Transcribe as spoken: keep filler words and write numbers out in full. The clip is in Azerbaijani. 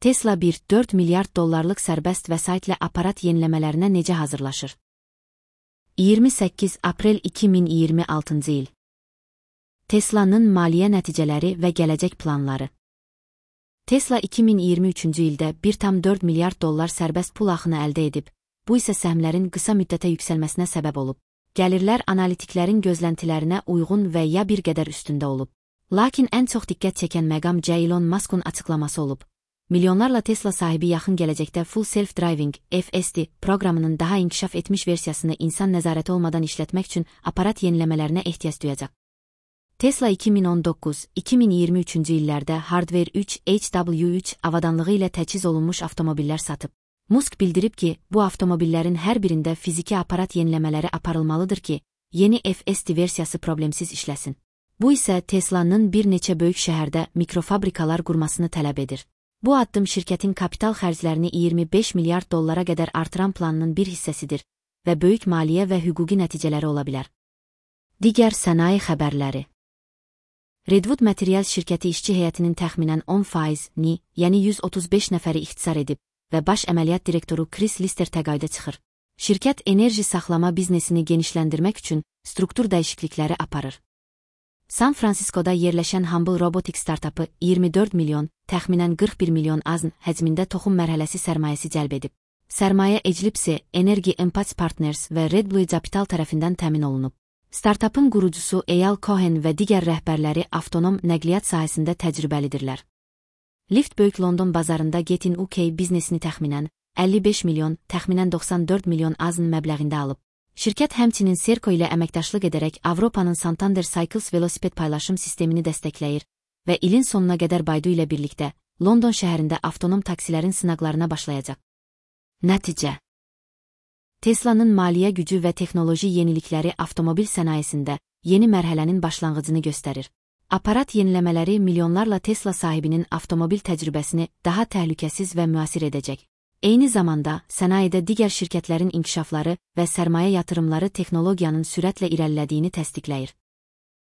Tesla bir nöqtə dörd milyard dollarlıq sərbəst vəsaitlə aparat yeniləmələrinə necə hazırlaşır? iyirmi səkkiz aprel iki min iyirmi altıncı il. Tesla'nın maliyyə nəticələri və gələcək planları. Tesla iki min iyirmi üçüncü ildə bir nöqtə dörd milyard dollar sərbəst pul axını əldə edib, bu isə səhmlərin qısa müddətə yüksəlməsinə səbəb olub. Gəlirlər analitiklərin gözləntilərinə uyğun və ya bir qədər üstündə olub. Lakin ən çox diqqət çəkən məqam Elon Musk'un açıqlaması olub. Milyonlarla Tesla sahibi yaxın gələcəkdə Full Self-Driving (F S D) proqramının daha inkişaf etmiş versiyasını insan nəzarəti olmadan işlətmək üçün aparat yeniləmələrinə ehtiyac duyacaq. Tesla iki min on doqquz iki min iyirmi üçüncü illərdə Hardware üç H W üç avadanlığı ilə təchiz olunmuş avtomobillər satıb. Musk bildirib ki, bu avtomobillərin hər birində fiziki aparat yeniləmələri aparılmalıdır ki, yeni F S D versiyası problemsiz işləsin. Bu isə Tesla'nın bir neçə böyük şəhərdə mikrofabrikalar qurmasını tələb edir. Bu addım şirkətin kapital xərclərini iyirmi beş milyard dollara qədər artıran planının bir hissəsidir və böyük maliyyə və hüquqi nəticələri ola bilər. Digər sənaye xəbərləri. Redwood Materials şirkəti işçi heyətinin təxminən on faizini, yəni yüz otuz beş nəfəri ixtisar edib və baş əməliyyat direktoru Chris Lister təqaüdə çıxır. Şirkət enerji saxlama biznesini genişləndirmək üçün struktur dəyişiklikləri aparır. San Fransiskoda yerləşən Humble Robotics startapı iyirmi dörd milyon, təxminən qırx bir milyon azn həcmində toxum mərhələsi sərmayəsi cəlb edib. Sərmayə Eclipse, Energy Impact Partners və Redblue Capital tərəfindən təmin olunub. Startapın qurucusu Eyal Cohen və digər rəhbərləri avtonom nəqliyyat sahəsində təcrübəlidirlər. Lyft Böyük London bazarında Get-in U K biznesini təxminən əlli beş milyon, təxminən doxsan dörd milyon azn məbləğində alıb. Şirkət həmçinin Serco ilə əməkdaşlıq edərək Avropanın Santander Cycles velosiped paylaşım sistemini dəstəkləyir və ilin sonuna qədər Baidu ilə birlikdə London şəhərində avtonom taksilərin sınaqlarına başlayacaq. Nəticə. Tesla'nın maliyyə gücü və texnoloji yenilikləri avtomobil sənayesində yeni mərhələnin başlanğıcını göstərir. Aparat yeniləmələri milyonlarla Tesla sahibinin avtomobil təcrübəsini daha təhlükəsiz və müasir edəcək. Eyni zamanda, sənayedə digər şirkətlərin inkişafları və sərmayə yatırımları texnologiyanın sürətlə irəlilədiyini təsdiqləyir.